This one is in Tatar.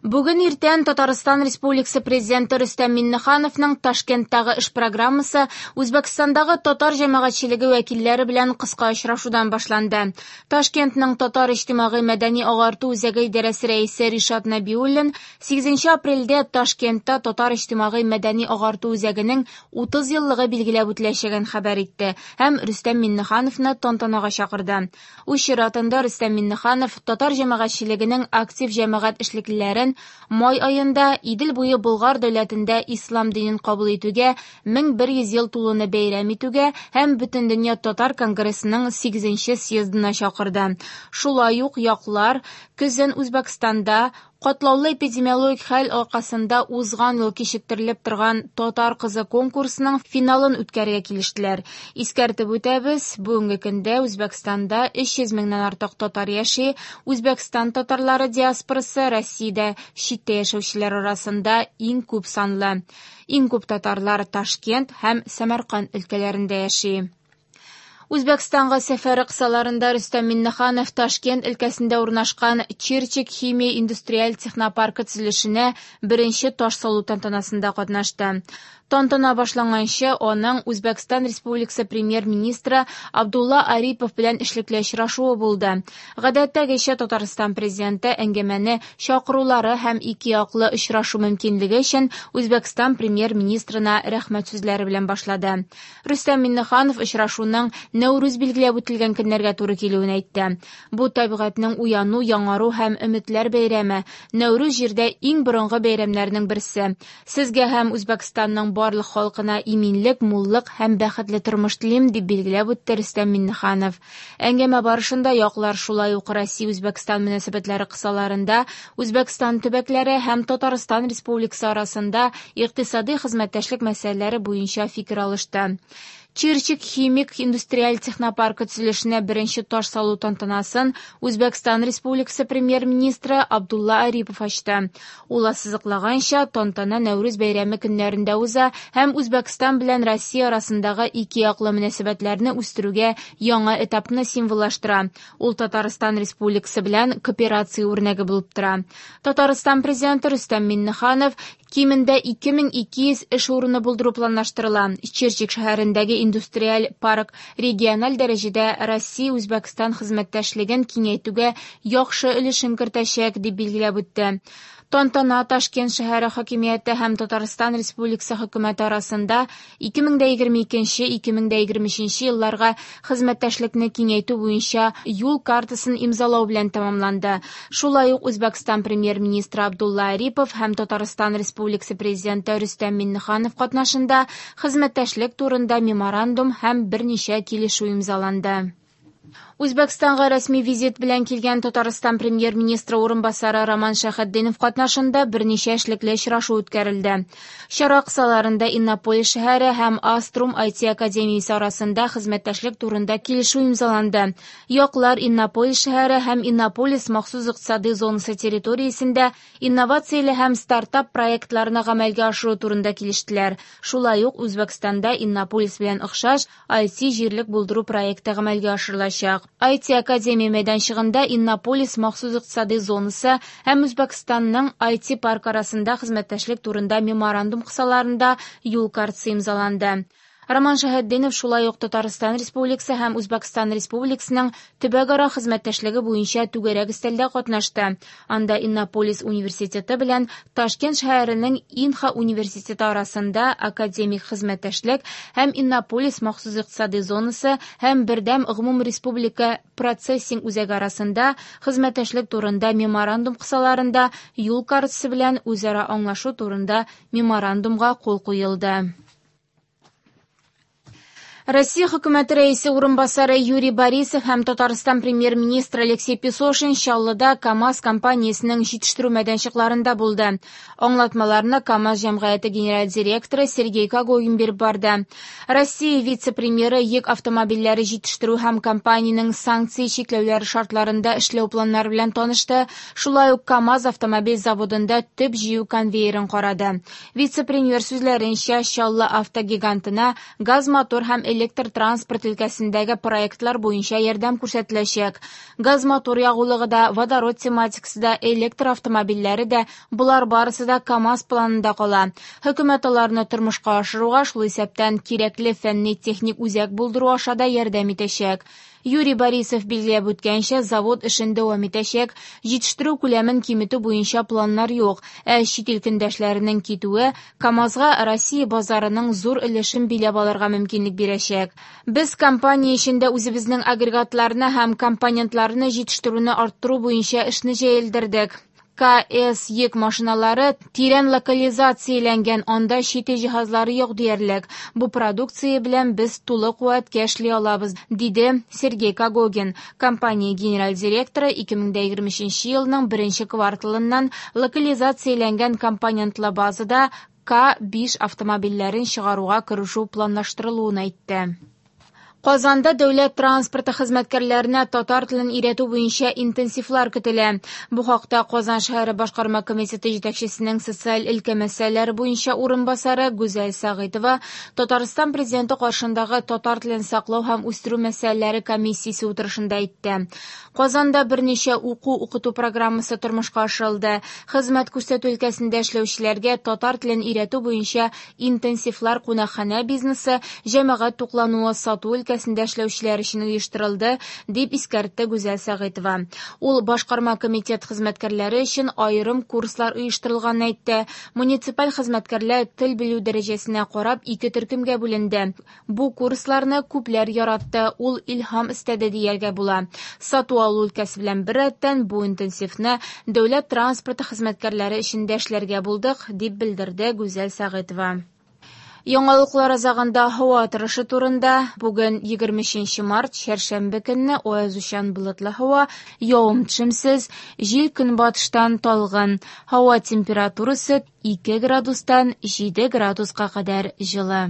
Бүген иртән Татарстан Республикасы Президенты Рөстәм Миңнехановның Ташкенттагы эш программасы Үзбәкстандагы татар җәмәгатьчелеге вәкилләре белән кыска очрашудан башланды. Ташкентның Татар иҗтимагый мәдәни агарту үзәге идарәсе рәисе Ришат Нәбиуллин 8 апрельдә Ташкентта Татар иҗтимагый мәдәни агарту үзәгенең 30 еллыгы билгеләп үтеләчәген хәбәр итте һәм Рөстәм Миңнехановны тантанага чакырды. Үз чиратында Рөстәм Миңнеханов татар җәмәгатьчелегенең актив җәмәгать эшлеклеләрен май аенда Идел буе Болгар дәүләтендә ислам динен кабул итүгә 1100 ел тулуны бәйрәм итүгә һәм Бөтендөнья татар конгрессының 8 съездына чакырды. Шулай ук яклар көзен Үзбәкстанда катлаулы эпидемиологик хәл аркасында узган ел кичектерелеп торган Татар кызы конкурсының финалын үткәрергә килештеләр. Искәртеп үтәбез, бүгенге көндә Үзбәкстанда 300 меңнән артык татар яши. Үзбәкстан татарлары диаспорасы Россиядә читтә яшәүчеләр арасында иң күп санлы. Иң күп татарлар Ташкент һәм Сәмәрканд өлкәләрендә яши. Үзбәкстанга сәфәре кысаларында Рөстәм Миңнеханов Ташкент өлкәсендә урнашкан Чирчик химия индустриаль технопаркы төзелешенә беренче таш салу тантанасында катнашты. Тантана башланганчы аның Үзбәкстан Республикасы премьер-министры Абдулла Арипов белән эшлекле очрашуы булды. Гадәттәгечә Татарстан президенты әңгәмәне чакырулары һәм ике яклы очрашу мөмкинлеге өчен Үзбәкстан премьер-министрына рәхмәт сүзләре белән башлады. Рөстәм Миңнеханов очрашуның Нәүрүз билгеләп үтелгән көннәргә туры килүен әйтте. Бу табигатьнең уяну, яңару һәм өметләр бәйрәме. Нәүрүз җирдә иң борынгы бәйрәмнәрнең берсе. Сезгә һәм Үзбәкстанның барлык халкына иминлек, муллык һәм бәхетле тормыш телим, дип билгеләп үтте Рөстәм Миңнеханов. Әңгәмә барышында яклар шулай ук Россия-Үзбәкстан мөнәсәбәтләре кысаларында Үзбәкстан төбәкләре һәм Татарстан Республикасы арасында икътисади хезмәттәшлек мәсьәләләре буенча фикер алышты. Чирчик химик индустриаль технопаркы төзелешенә беренче таш салу тантанасын Үзбәкстан Республикасы премьер-министры Абдулла Арипов ачты. Ул ассызыклаганча, тантана Нәүрүз бәйрәме көннәрендә уза һәм Үзбәкстан белән Россия арасындагы ике яклы мөнәсәбәтләрне үстерүгә яңа этапны символлаштыра. Ул Татарстан Республикасы белән кооперация үрнәге булып тора. Татарстан президенты Рөстәм Миңнеханов кимендә 2200 эш урыны булдыру планлаштырыла. Чирчик шәһәрендәге индустриаль парк региональ дәрәҗәдә Россия-Үзбәкстан хезмәттәшлеген киңәйтүгә яхшы өлешен кертәчәк, дип билгеләп үтте. Тантана Ташкент шәһәре хакимияте һәм Татарстан Республикасы хөкүмәте арасында 2022-2023 елларга хезмәттәшлекне киңәйтү буенча юл картасын имзалау белән тәмамланды. Шулай ук Үзбәкстан премьер-министры Абдулла Арипов һәм Татарстан Республикасы президенты Рөстәм Миңнеханов катнашында хезмәттәшлек турында меморандум һәм берничә килешү имзаланды. Үзбәкстанга рәсми визит белән килгән Татарстан премьер-министры урынбасары Роман Шәйхетдинов катнашында берничә эшлекле очрашу үткәрелде. Чара кысаларында Иннополис шәһәре һәм Аструм IT академиясе арасында хезмәттәшлек турында килешү имзаланды. Яклар Иннополис шәһәре һәм Иннополис махсус икътисади зонасы территориясендә инновацияле һәм стартап проектларны гамәлгә ашыру турында килештеләр. Шулай ук Үзбәкстанда Иннополис белән охшаш IT җирлек булдыру проекты гамәлгә ашырылачак. IT академия мәйданчыгында Иннополис махсус икътисади зонасы һәм Үзбәкстанның IT парк арасында хезмәттәшлек турында меморандум кысаларында юл картасы имзаланды. Роман Шәйхетдинов шулай ук Татарстан Республикасы һәм Үзбәкстан Республикасының төбәкара хезмәттәшлеге буенча түгәрәк өстәлдә катнашты. Анда Иннополис университеты белән Ташкент шәһәренең Инха университеты арасында академик хезмәттәшлек һәм Иннополис махсус икътисади зонасы һәм бердәм гомумреспублика процессинг үзәге арасында хезмәттәшлек турында меморандум кысаларында юл картасы белән үзара аңлашу турында меморандумга кул куелды. Россия хөкүмәте рәисе урынбасары Юрий Борисов һәм Татарстан премьер-министры Алексей Песошин Чаллыда КАМАЗ компаниясенең җитештерү мәйданчыкларында булды. Аңлатмаларны КАМАЗ җәмгыяте генераль директоры Сергей Когогин биреп барды. Россия вице-премьеры йөк автомобильләре җитештерү һәм компаниянең санкция чикләүләре шартларында эшләү планнары белән танышты. Шулай ук КАМАЗ автомобиль заводында төп җыю конвейерын карады. Вице-премьер сүзләренчә, Чаллы автогигантына газ мотор һәм электр транспорт өлкәсендәге проектлар буенча ярдәм күрсәтеләчәк. Газ-мотор ягулыгы да, водород тематикасы да, электр автомобильләре дә – болар барысы да КАМАЗ планында кала. Хөкүмәт аларны тормышка ашыруга, шул исәптән кирәкле фәнни-техник үзәк булдыру аша да ярдәм итәчәк. Юрий Борисов билгеләп үткәнчә, завод эшен дәвам итәчәк, җитештерү күләмен киметү буенча планнар юк, ә чит ил көндәшләренең китүе КАМАЗга Россия базарының зур өлешен биләп алырга мөмкинлек бирәчәк. Без компания эчендә үзебезнең агрегатларны һәм компонентларны җитештерүне арттыру буенча эшне җәелдердек. КС йөк машиналары тирән локализацияләнгән, анда чит ил җиһазлары юк диярлек. Бу продукция белән без тулы куәткә эшли алабыз, диде Сергей Когогин. Компания генераль директоры 2023 елның беренче кварталыннан локализацияләнгән компонентлы базада К5 автомобильләрен чыгаруга керешү планлаштырылуын әйтте. Казанда дәүләт транспорты хезмәткәрләренә татар телен өйрәтү буенча интенсивлар көтелә. Бу хакта Казан шәһәре башкарма комитеты җитәкчесенең социаль өлкә мәсьәләләре буенча урынбасары Гүзәл Сәгыйтова Татарстан Президенты каршындагы татар телен саклау һәм үстерү мәсьәләләре комиссиясе утырышында әйтте. Казанда берничә уку-укыту программасы тормышка ашырылды. Хезмәт күрсәтү өлкәсендә эшләүчеләргә татар телен өйрәтү буенча интенсивлар кунакханә бизнесы, җәмәгать туклануы, сату өлкәсендә эшләүчеләр өчен оештырылды, дип искәртте Гүзәл Сәгыйтова. Ул башкарма комитет хезмәткәрләре өчен аерым курслар оештырылганын әйтте. Муниципаль хезмәткәрләр тел белү дәрәҗәсенә карап ике төркемгә бүленде. Бу курсларны күпләр яратты, ул илһам өстәде дияргә була. Сату алу өлкәсе белән беррәттән бу интенсивны дәүләт транспорты хезмәткәрләре өчен дә эшләргә булдык, дип белдерде Гүзәл Сәгыйтова. Яңалыклар азагында һава торышы турында. Бүген 23 март, чәршәмбе көнне аязучан болытлы һава, явым-төшемсез, җил көнбатыштан талгын. Һава температурасы 2 градустан 7 градуска кадәр җылы.